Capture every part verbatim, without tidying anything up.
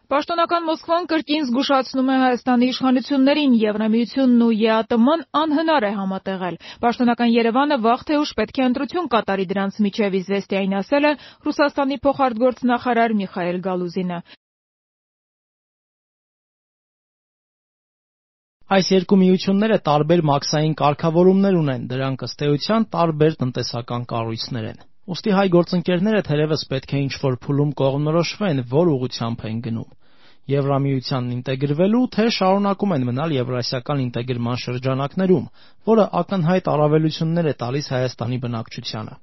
Պաշտոնական Մոսկվան կրկին զգուշացնում է Հայաստանի իշխանություններին, Եվրամիությունն ու Է Ա Տը Մ-ն անհնար է համատեղել։ Պաշտոնական Երևանը վաղ թե ուշ պետք է ընտրություն կատարի դրանց միջև, Իզվեստիային ասել է Ռուսաստանի փոխարտգործնախարար Միխայել Գալուզինը։ Այս երկու միությունները տարբեր մաքսային կարգավորումներ ունեն, դրանք ըստ էության տարբեր տնտեսական կառույցներ են։ Ուստի հայ գործընկերները թերևս պետք է ինչ-որ փուլում կողմնորոշվեն, որ ուղղությամբ են գնում։ Եվրամիությանն ինտեգրվելու, թե շարունակում են մնալ եվրասիական ինտեգրման շրջանակներում, որը ակնհայտ առավելություններ է տալիս Հայաստանի բնակչությանը։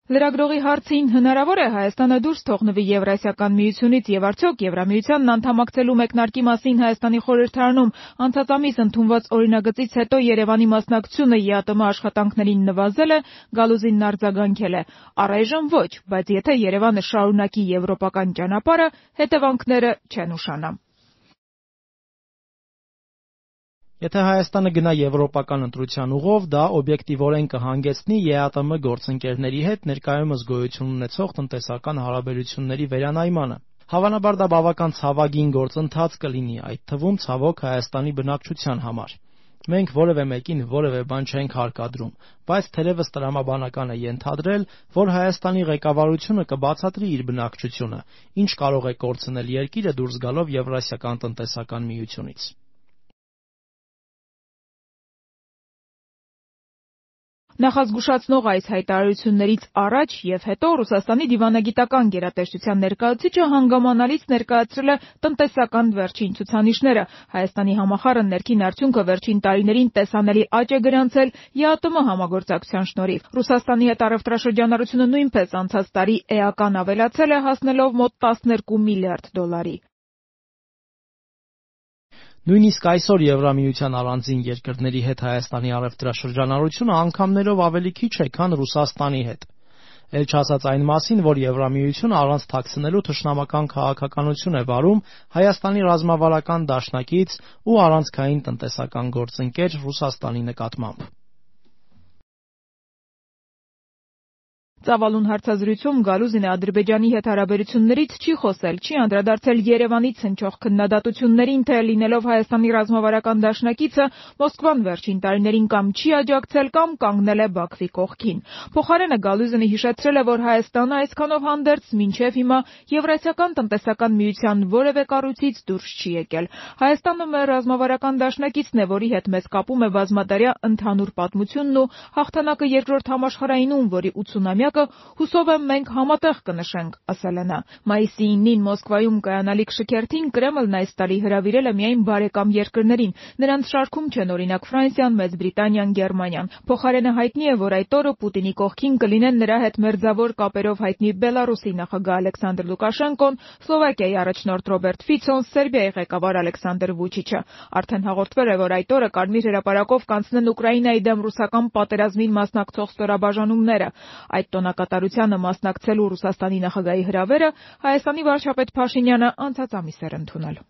Լրագրողի հարցին հնարավոր է Հայաստանը դուրս թողնվի Եվրասիական միությունից եւ արդյոք Եվրամիությանն անդամակցելու մեկնարկի մասին Հայաստանի խորհրդարանում անցած ամիս ընդունված օրինագծից հետո Երևանի մասնակցությունը Է Ա Տը Մ աշխատանքներին նվազել է, Գալուզինն արձագանքել է. առայժմ ոչ, բայց եթե Երևանը շարունակի եվրոպական ճանապարհը, հետևանքները չեն ուշանա։ Եթե Հայաստանը գնա եվրոպական ընտրության ուղով, դա օբյեկտիվորեն կհանգեցնի Է Ա Տը Մ գործընկերների հետ ներկայումս գոյություն ունեցող տնտեսական հարաբերությունների վերանայմանը։ Հավանաբար դա բավական ցավագին գործընթաց կլինի, այդ թվում ցավոք Հայաստանի բնակչության համար։ Մենք որևէ մեկին որևէ բան չենք հարկադրում, բայց թերևս տրամաբանական է ենթադրել, որ Հայաստանի ղեկավարությունը կբացատրի իր բնակչությունը, ինչ կարող է կորցնել երկիրը դուրս գալով Եվրասիական տնտեսական միությունից։ Նախազգուշացնող այս հայտարարություններից առաջ եւ հետո Ռուսաստանի դիվանագիտական գերատեսչության ներկայացուցիչը հանգամանալից ներկայացրել է տնտեսական վերջին ցուցանիշները։ Հայաստանի համախառն ներքին արդյունքը վերջին տարիներին տեսանելի աճ է գրանցել Է Ա Տը Մ համագործակցության շնորհիվ։ Ռուսաստանի հետ առևտրաշրջանառությունը նույնպես անցած տարի էական ավելացել է, հասնելով մոտ տասներկու միլիարդ դոլարի։ Նույնիսկ այսօր Եվրամիության առանձին երկրների հետ Հայաստանի առևտրաշրջանառությունը անգամներով ավելի քիչ է, քան Ռուսաստանի հետ։ Էլ չասած այն մասին, որ Եվրամիությունը առանց թաքցնելու թշնամական քաղաքականություն է վարում Հայաստանի ռազմավարական դաշնակից ու առանցքային տնտեսական գործընկեր Ռուսաստանի նկատմամբ։ Ծավալուն հարցազրույցում Գալուզինը Ադրբեջանի հետ հարաբերություններից չի խոսել, չի անդրադարձել Երևանից հնչող քննադատություններին, թե լինելով Հայաստանի ռազմավարական դաշնակիցը Մոսկվան վերջին տարիներին կամ չի աջակցել, կամ կանգնել է Բաքվի կողքին։ Փոխարենը Գալուզինը հիշեցրել է, որ Հայաստանը այսքանով հանդերձ մինչև հիմա Եվրասիական տնտեսական միության որևէ կառույցից դուրս չի եկել։ Հայաստանը մեր ռազմավարական դաշնակիցն է, որի հետ մեզ կապում է բազմատարյա ընդհանուր պատմությունն ու հաղթանակը երկրորդ համաշխարհայինում, որի ութսունամյակը հուսով եմ մենք համատեղ կնշենք, ասել է նա։ Մայիսի իննին Մոսկվայում կայանալիք շքերթին Կրեմլն այս տարի հրավիրել է միայն բարեկամ երկրներին։ Նրանց շարքում չեն օրինակ Ֆրանսիան, Մեծ Բրիտանիան, Գերմանիան։ Փոխարենը հայտնի է, որ այդ օրը Պուտինի կողքին կլինեն նրա հետ մերձավոր կապերով հայտնի Բելարուսի նախագահ Ալեքսանդր Լուկաշենկոն, Սլովակիայի առաջնորդ Ռոբերտ Ֆիցոն, Սերբիայի ղեկավար Ալեքսանդր Վուչիչը։ Արդեն հաղորդվել է, որ այդ օրը Կարմիր հրապարակով կանցնեն Ուկրաինայի դեմ ռուսական պատերազմին մասնակցող ստորաբաժանումները։ Այդ տոնակատարությանը մասնակցելու Ռուսաստանի նախագահի հրավերը Հայաստանի վարչապետ Փաշինյանը անցած ամիս էր ընդունել։